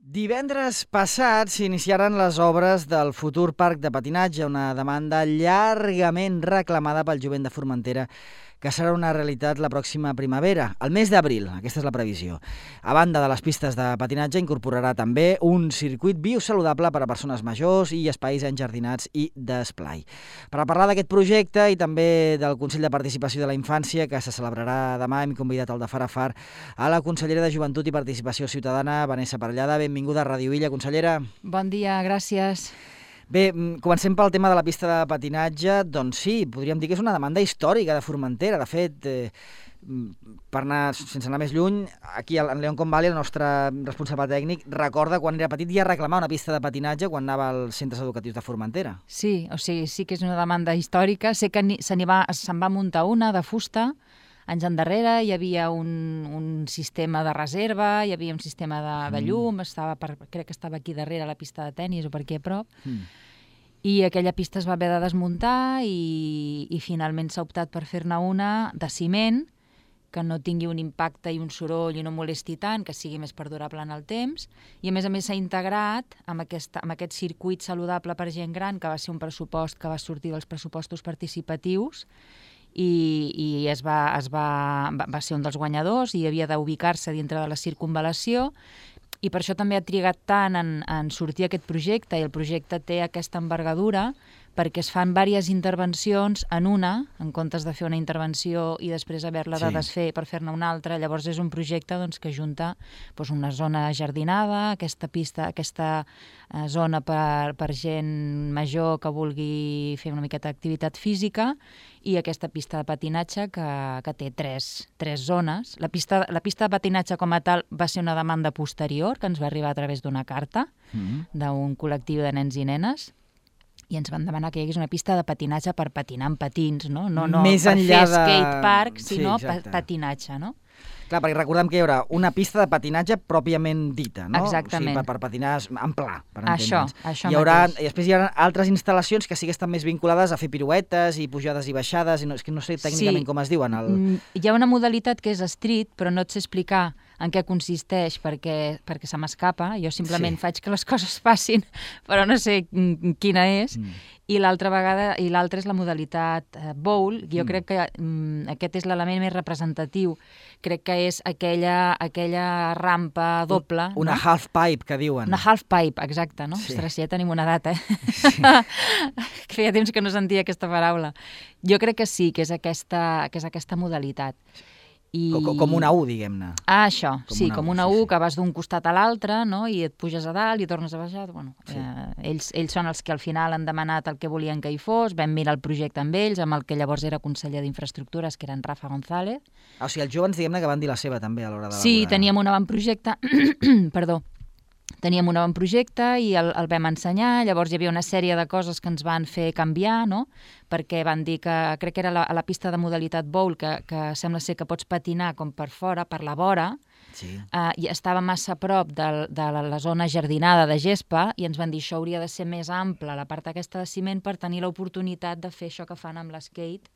Divendres passat s'iniciaren les obres del futur parc de patinatge, una demanda llargament reclamada pel jovent de Formentera, que serà una realitat la pròxima primavera, al mes d'abril, aquesta és la previsió. A banda de les pistes de patinatge, incorporarà també un circuit biosaludable per a persones majors i espais enjardinats i d'esplai. Per a parlar d'aquest projecte i també del Consell de Participació de la Infància, que se celebrarà demà, hem convidat al de Far a Far a la consellera de Joventut i Participació Ciutadana, Vanessa Parellada. Benvinguda a Ràdio Illa, consellera. Bon dia, gràcies. Bé, comencem pel tema de la pista de patinatge. Doncs sí, podríem dir que és una demanda històrica de Formentera. De fet, per anar, sense anar més lluny, aquí en León Convalli, el nostre responsable tècnic, recorda quan era petit ja reclamar una pista de patinatge quan anava als centres educatius de Formentera. Sí, o sigui, sí que és una demanda històrica. Sé que se'n va muntar una de fusta. Anys endarrere hi havia un sistema de reserva, hi havia un sistema de llum, crec que estava aquí darrere la pista de tennis o per aquí a prop, i aquella pista es va haver de desmuntar i finalment s'ha optat per fer-ne una de ciment, que no tingui un impacte i un soroll i no molesti tant, que sigui més perdurable en el temps, i a més s'ha integrat amb aquest circuit saludable per gent gran, que va ser un pressupost que va sortir dels pressupostos participatius, i va ser un dels guanyadors i havia d'ubicar-se dintre de la circunvalació, i per això també ha trigat tant en sortir aquest projecte, i el projecte té aquesta envergadura perquè es fan diverses intervencions en una, en comptes de fer una intervenció i després haver-la de desfer per fer-ne una altra. Llavors és un projecte que junta una zona jardinada, aquesta pista, aquesta zona per gent major que vulgui fer una miqueta d'activitat física, i aquesta pista de patinatge que té tres zones. La pista de patinatge com a tal va ser una demanda posterior que ens va arribar a través d'una carta d'un col·lectiu de nens i nenes, i ens van demanar que hi hagués una pista de patinatge per patinar amb patins, no Més per enllà fer skatepark, sinó patinatge, no? Clar, perquè recordem que hi haurà una pista de patinatge pròpiament dita, no? Exactament. O sigui, per patinar en pla, per entendre'ns. Això I després hi haurà altres instal·lacions que sí que estan més vinculades a fer piruetes i pujades i baixades, és que no sé tècnicament com es diuen. Hi ha una modalitat que és street, però no et sé explicar en què consisteix perquè se m'escapa. Jo simplement faig que les coses passin, però no sé quina és. I l'altra és la modalitat bowl. Jo crec que aquest és l'element més representatiu. Crec que és aquella rampa doble. Una half pipe, que diuen. Una half pipe, exacte, no? Sí. Ostres, ja tenim una data, Feia temps que no sentia aquesta paraula. Jo crec que sí, que és aquesta modalitat. Com una U, diguem-ne. Això, com una U, que vas d'un costat a l'altre, no? I et puges a dalt i tornes a baixar. Bueno, ells són els que al final han demanat el que volien que hi fos, vam mirar el projecte amb ells, amb el que llavors era conseller d'Infraestructures, que era en Rafa González. O sigui, els joves, diguem-ne, que van dir la seva també a l'hora de... Sí, teníem un avantprojecte, Teníem un avantprojecte i el vam ensenyar. Llavors hi havia una sèrie de coses que ens van fer canviar, no? Perquè van dir que, crec que era a la pista de modalitat bowl, que sembla ser que pots patinar com per fora, per la vora, i estava massa a prop de la zona jardinada de gespa, i ens van dir això hauria de ser més ample, la part aquesta de ciment, per tenir l'oportunitat de fer això que fan amb l'skate,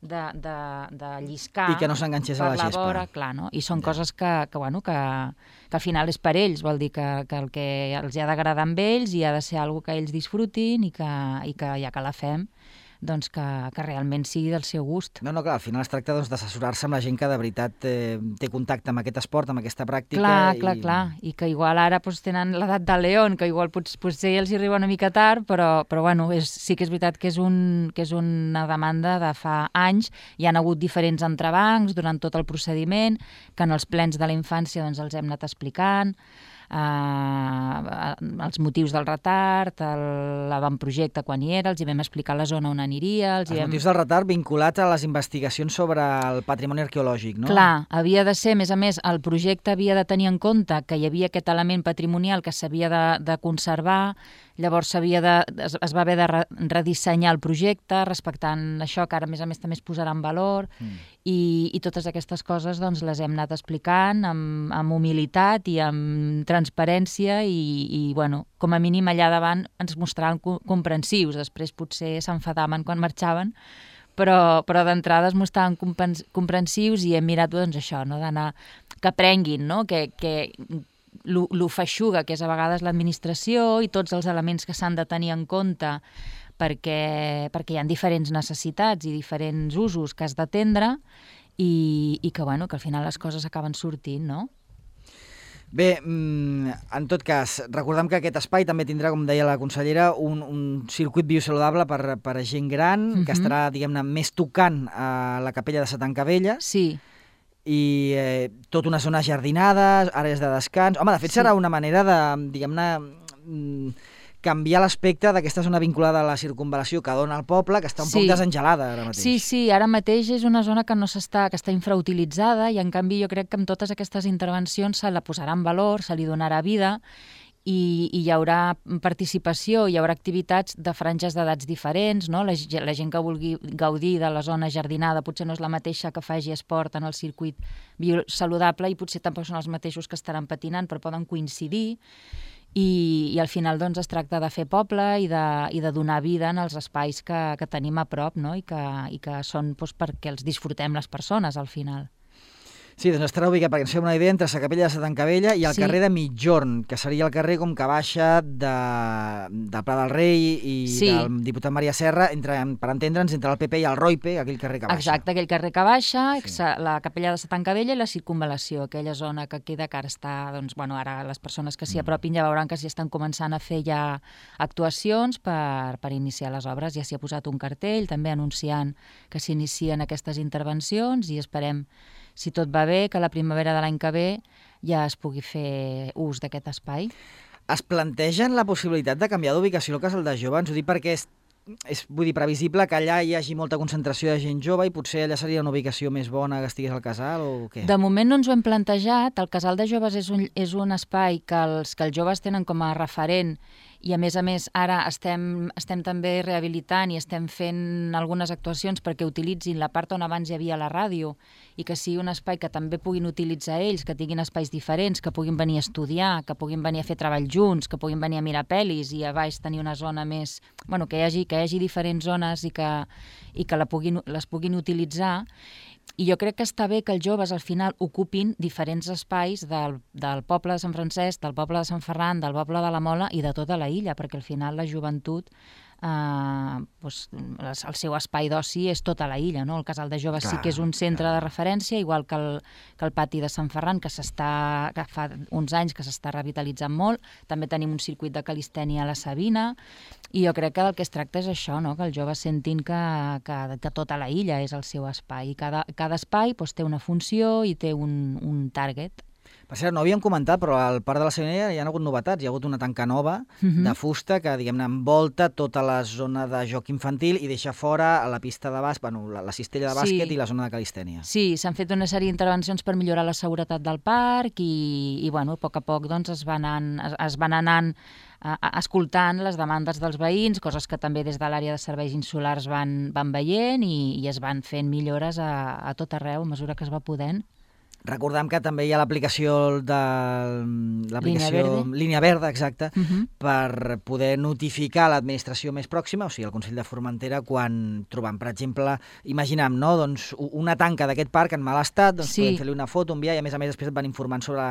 de lliscar i que no s'enganxés a la gespa. Per la vora, clar, no? I són coses que al final és per ells, vol dir que el que els ha d'agradar amb ells i ha de ser alguna que ells disfrutin i que ja que la fem, doncs que realment sigui del seu gust. No, clar, al final es tracta d'assessorar-se amb la gent que de veritat té contacte amb aquest esport, amb aquesta pràctica. Clar, i que igual ara tenen l'edat del León, que igual potser els hi arriba una mica tard, però bueno, sí que és veritat que és una demanda de fa anys. Hi han hagut diferents entrebancs durant tot el procediment, que en els plens de la infància els hem anat explicant, els motius del retard, l'avantprojecte quan hi era, els hi vam explicar la zona on aniria. Els motius del retard vinculats a les investigacions sobre el patrimoni arqueològic, no? Clar, havia de ser, a més, el projecte havia de tenir en compte que hi havia aquest element patrimonial que s'havia de conservar. Llavors es va haver de redissenyar el projecte respectant això, que ara a més també es posarà en valor, i totes aquestes coses les hem anat explicant amb humilitat i amb transparència, i com a mínim allà davant ens mostraven comprensius. Després potser s'enfadaven quan marxaven, però d'entrada es mostraven comprensius, i hem mirat això, d'anar, que aprenguin, no? Que lo feixuga que és a vegades l'administració i tots els elements que s'han de tenir en compte perquè hi ha diferents necessitats i diferents usos que has d'atendre i que, bueno, que al final les coses acaben sortint, no? Bé, en tot cas, recordem que aquest espai també tindrà, com deia la consellera, un circuit biosaludable per a gent gran, que estarà, diguem-ne, més tocant a la capella de Satancavella. Sí. I tota una zona jardinada, àrees de descans. Home, de fet, serà una manera de, diguem-ne, canviar l'aspecte d'aquesta zona vinculada a la circunvalació que dona al poble, que està un poc desengelada ara mateix. Sí, ara mateix és una zona que està infrautilitzada i en canvi jo crec que amb totes aquestes intervencions se la posarà en valor, se li donarà vida i hi haurà participació, hi haurà activitats de franges d'edats diferents, no? La gent que vulgui gaudir de la zona jardinada potser no és la mateixa que faci esport en el circuit biosaludable i potser tampoc són els mateixos que estaran patinant, però poden coincidir. I al final doncs, es tracta de fer poble i de donar vida en els espais que tenim a prop, no? I que són doncs, perquè els disfrutem les persones al final. Sí, doncs estarà ubicat, perquè ens fem una idea, entre la capella de Satancavella i el carrer de Mitjorn, que seria el carrer com que baixa del Pla del Rei i del diputat Maria Serra, per entendre'ns, entre el PP i el Roipe, aquell carrer que baixa. Exacte, aquell carrer que baixa, la capella de Satancavella i la circunvalació, aquella zona que queda, que ara està, doncs, bueno, ara les persones que s'hi apropin ja veuran que s'hi estan començant a fer ja actuacions per iniciar les obres. Ja s'hi ha posat un cartell, també anunciant que s'inicien aquestes intervencions i esperem, si tot va bé, que la primavera de l'any que ve ja es pugui fer ús d'aquest espai. Es plantegen la possibilitat de canviar d'ubicació al Casal de Jove? Ens ho dic perquè és previsible que allà hi hagi molta concentració de gent jove i potser allà seria una ubicació més bona que estigués al casal o què? De moment no ens ho hem plantejat. El Casal de Joves és un espai que els joves tenen com a referent i a més ara estem també rehabilitant i estem fent algunes actuacions perquè utilitzin la part on abans hi havia la ràdio i que sigui un espai que també puguin utilitzar ells, que tinguin espais diferents, que puguin venir a estudiar, que puguin venir a fer treball junts, que puguin venir a mirar pel·lis i a baix tenir una zona més... Bueno, que hi hagi diferents zones i que les puguin utilitzar. I jo crec que està bé que els joves al final ocupin diferents espais del poble de Sant Francesc, del poble de Sant Ferran, del poble de la Mola i de tota la illa, perquè al final la joventut, el seu espai d'oci és tota la illa, no? El Casal de Joves sí que és un centre de referència, igual que el pati de Sant Ferran, que fa uns anys que s'està revitalitzant molt. També tenim un circuit de calistènia a la Sabina, i jo crec que del que es tracta és això, no? Que els joves sentin que tota la illa és el seu espai, i cada espai té una funció i té un target. Per cert, no havíem comentat, però al Parc de la Sabina hi ha hagut novetats. Hi ha hagut una tanca nova de fusta que, diguem-ne, envolta tota la zona de joc infantil i deixa fora la pista de bàsquet, la cistella de bàsquet i la zona de calistènia. Sí, s'han fet una sèrie d'intervencions per millorar la seguretat del parc i a poc a poc doncs, es van anant escoltant les demandes dels veïns, coses que també des de l'àrea de serveis insulars van veient i es van fent millores a tot arreu a mesura que es va podent. Recordem que també hi ha l'aplicació de Línia Verda, exacte, per poder notificar l'administració més pròxima, o sigui, el Consell de Formentera, quan trobem, per exemple, imaginem, no? Doncs una tanca d'aquest parc en mal estat, doncs podem fer-li una foto, enviar, i a més després et van informant sobre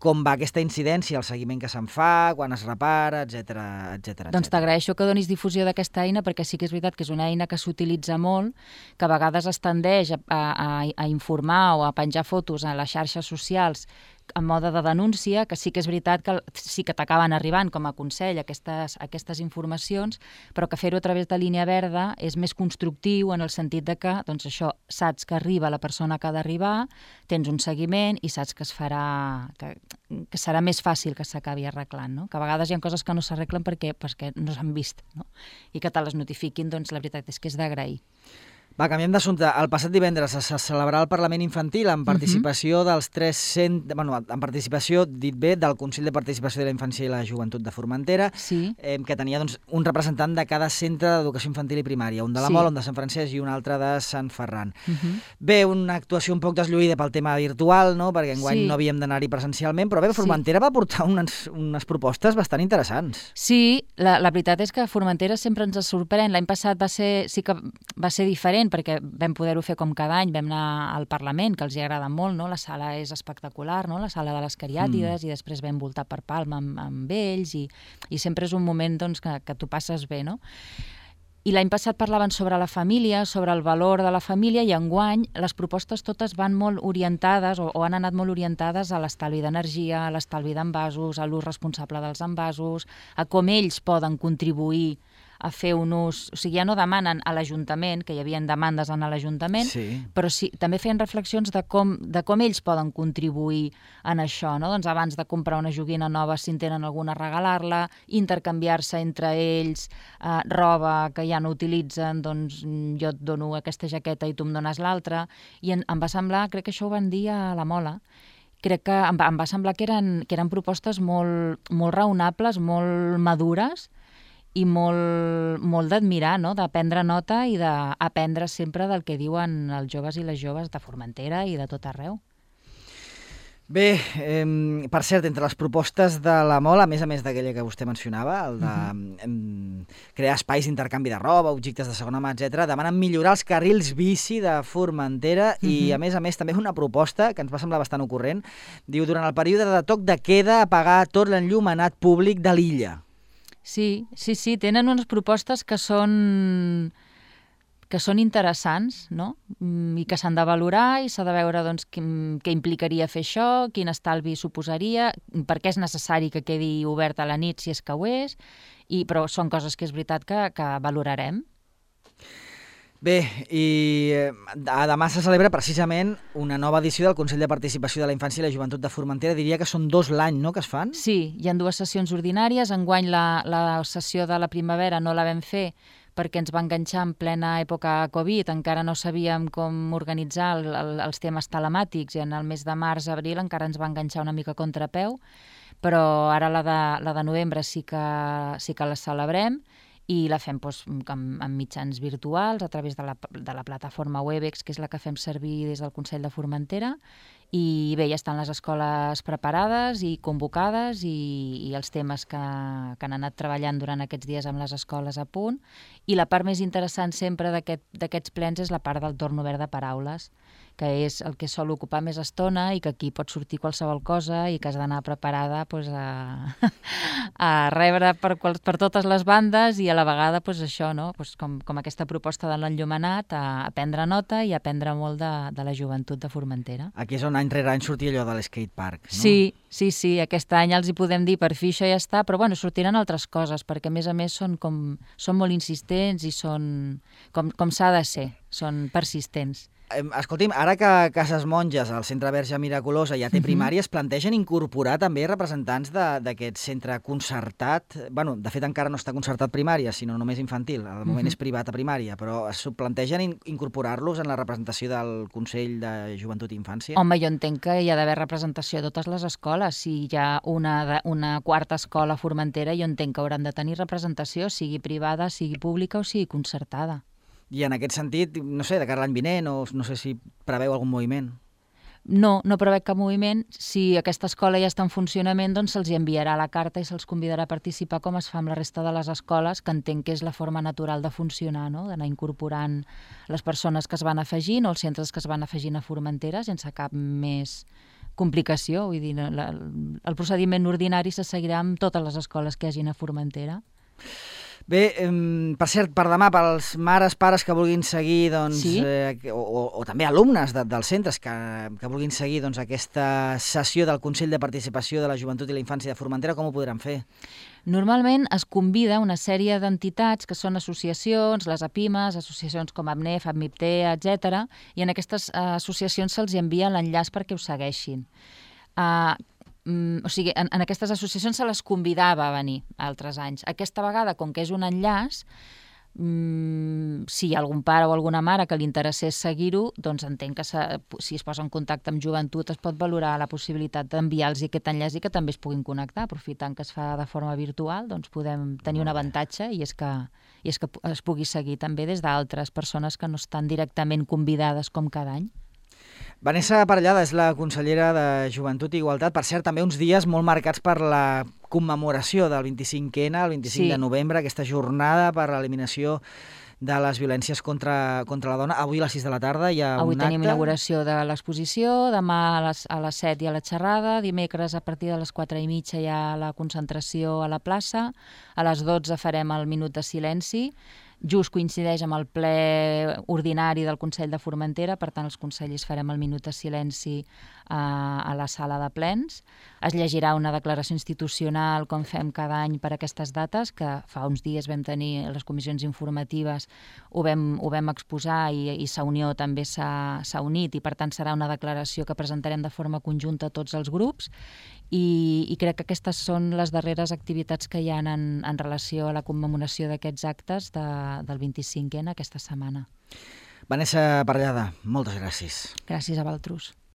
com va aquesta incidència, el seguiment que se'n fa, quan es repara, etc. Doncs t'agraeixo que donis difusió d'aquesta eina, perquè sí que és veritat que és una eina que s'utilitza molt, que a vegades es tendeix a informar o a penjar fotos a les xarxes socials en mode de denúncia, que sí que és veritat que sí que t'acaben arribant com a consell aquestes informacions, però que fer-ho a través de Línia Verda és més constructiu en el sentit de que, doncs això, saps que arriba la persona que ha d'arribar, tens un seguiment i saps que es farà, que serà més fàcil que s'acabi arreglant, no? Que a vegades hi ha coses que no s'arreglen perquè no s'han vist, no? I que te les notifiquin, doncs la veritat és que és d'agrair. Va, canviem d'assumpte. El passat divendres se celebrarà el Parlament Infantil amb participació dels en participació, dit bé, del Consell de Participació de la Infància i la Joventut de Formentera, que tenia un representant de cada centre d'educació infantil i primària, un de la Mola, un de Sant Francesc i un altre de Sant Ferran. Bé, una actuació un poc deslluïda pel tema virtual, no? Perquè enguany no havíem d'anar-hi presencialment, però bé, Formentera va portar unes propostes bastant interessants. Sí, la veritat és que Formentera sempre ens sorprèn. L'any passat sí que va ser diferent, perquè vam poder-ho fer com cada any, vam anar al Parlament, que els hi agrada molt, no? La sala és espectacular, no? La sala de les Cariàtides, i després vam voltar per Palma amb ells, i sempre és un moment doncs, que tu passes bé, no? I l'any passat parlaven sobre la família, sobre el valor de la família, i enguany les propostes totes van molt orientades o han anat molt orientades a l'estalvi d'energia, a l'estalvi d'envasos, a l'ús responsable dels envasos, a com ells poden contribuir a fer un ús... O sigui, ja no demanen a l'Ajuntament, que hi havia demandes en l'Ajuntament, però sí, també feien reflexions de com ells poden contribuir en això, no? Doncs abans de comprar una joguina nova, si en tenen alguna, regalar-la, intercanviar-se entre ells, roba que ja no utilitzen, doncs jo et dono aquesta jaqueta i tu em dones l'altra, i em va semblar, crec que això ho van dir a la Mola, crec que em va semblar que eren propostes molt raonables, molt madures, i molt d'admirar, no? De prendre nota i d'aprendre sempre del que diuen els joves i les joves de Formentera i de tot arreu. Bé, per cert, entre les propostes de la Mola, a més d'aquella que vostè mencionava, el de crear espais d'intercanvi de roba, objectes de segona mà, etc., demanen millorar els carrils bici de Formentera i, a més, també una proposta que ens va semblar bastant ocorrent. Diu, durant el període de toc de queda, apagar tot l'enllumenat públic de l'illa. Sí, tenen unes propostes que són interessants, no? I que s'han de valorar i s'ha de veure doncs, què implicaria fer això, quin estalvi suposaria, per què és necessari que quedi obert a la nit si és que ho és, però són coses que és veritat que valorarem. Bé, i demà se celebra precisament una nova edició del Consell de Participació de la Infància i la Joventut de Formentera. Diria que són 2 l'any, no?, que es fan? Sí, hi ha 2 sessions ordinàries. Enguany la sessió de la primavera no la vam fer perquè ens va enganxar en plena època Covid, encara no sabíem com organitzar els temes telemàtics, i en el mes de març-abril encara ens va enganxar una mica a contrapeu, però ara la de novembre sí que la celebrem, i la fem amb mitjans virtuals a través de la plataforma Webex, que és la que fem servir des del Consell de Formentera, i bé, ja estan les escoles preparades i convocades, i els temes que han anat treballant durant aquests dies amb les escoles a punt, i la part més interessant sempre d'aquests plens és la part del torn obert de paraules, que és el que sol ocupar més estona i que aquí pot sortir qualsevol cosa i que has d'anar preparada a rebre per totes les bandes, i a la vegada això, no? Com aquesta proposta de l'enllumenat, a prendre nota i a aprendre molt de la joventut de Formentera. Aquí és on any rere any sortia allò de l'skate park, no? Sí, aquest any els hi podem dir per fi això ja està, però bueno, sortiran altres coses, perquè a més són molt insistents i són com s'ha de ser, són persistents. Escolti'm, ara que Cases Monges, el Centre Verge Miraculosa, ja té primària, es plantegen incorporar també representants d'aquest centre concertat. Bueno, de fet encara no està concertat primària, sinó només infantil. Al moment és privat a primària, però es plantegen incorporar-los en la representació del Consell de Joventut i Infància? Home, jo entenc que hi ha d'haver representació a totes les escoles. Si hi ha una quarta escola a Formentera, jo entenc que hauran de tenir representació, sigui privada, sigui pública o sigui concertada. I en aquest sentit, no sé, de cara a l'any vinent, o no sé si preveu algun moviment? No prevec cap moviment. Si aquesta escola ja està en funcionament, doncs se'ls enviarà la carta i se'ls convidarà a participar com es fa amb la resta de les escoles, que entenc que és la forma natural de funcionar, no? D'anar incorporant les persones que es van afegint o els centres que es van afegint a Formentera sense cap més complicació. Vull dir, el procediment ordinari se seguirà amb totes les escoles que hi hagin a Formentera. Bé, per cert, per demà, pels mares, pares que vulguin seguir, doncs, sí? o també alumnes dels centres que vulguin seguir doncs, aquesta sessió del Consell de Participació de la Joventut i la Infància de Formentera, com ho podran fer? Normalment es convida una sèrie d'entitats que són associacions, les APIMES, associacions com APNEF, APMIPTE, etc. I en aquestes associacions se'ls envia l'enllaç perquè ho segueixin. O sigui, en aquestes associacions se les convidava a venir altres anys. Aquesta vegada, com que és un enllaç, si hi ha algun pare o alguna mare que li interessés seguir-ho, doncs entenc que si es posa en contacte amb joventut es pot valorar la possibilitat d'enviar-los aquest enllaç i que també es puguin connectar. Aprofitant que es fa de forma virtual, doncs podem tenir un avantatge, i és que es pugui seguir també des d'altres persones que no estan directament convidades com cada any. Vanessa Parellada és la consellera de Joventut i Igualtat. Per cert, també uns dies molt marcats per la commemoració del 25N, el 25 de novembre, aquesta jornada per l'eliminació de les violències contra la dona. Avui a les 6 de la tarda hi ha Avui un acte. tenim inauguració de l'exposició, demà a les 7 hi ha la xerrada, dimecres a partir de les 4:30 hi ha la concentració a la plaça, a les 12 farem el minut de silenci, just coincideix amb el ple ordinari del Consell de Formentera, per tant els consellers farem el minut de silenci a la sala de plens. Es llegirà una declaració institucional, com fem cada any per aquestes dates, que fa uns dies vam tenir les comissions informatives, ho vam exposar i Sa Unió també s'ha unit, i per tant serà una declaració que presentarem de forma conjunta a tots els grups, i crec que aquestes són les darreres activitats que hi ha en relació a la commemoració d'aquests actes del 25N aquesta setmana. Vanessa Parellada, moltes gràcies. Gràcies a vosaltres.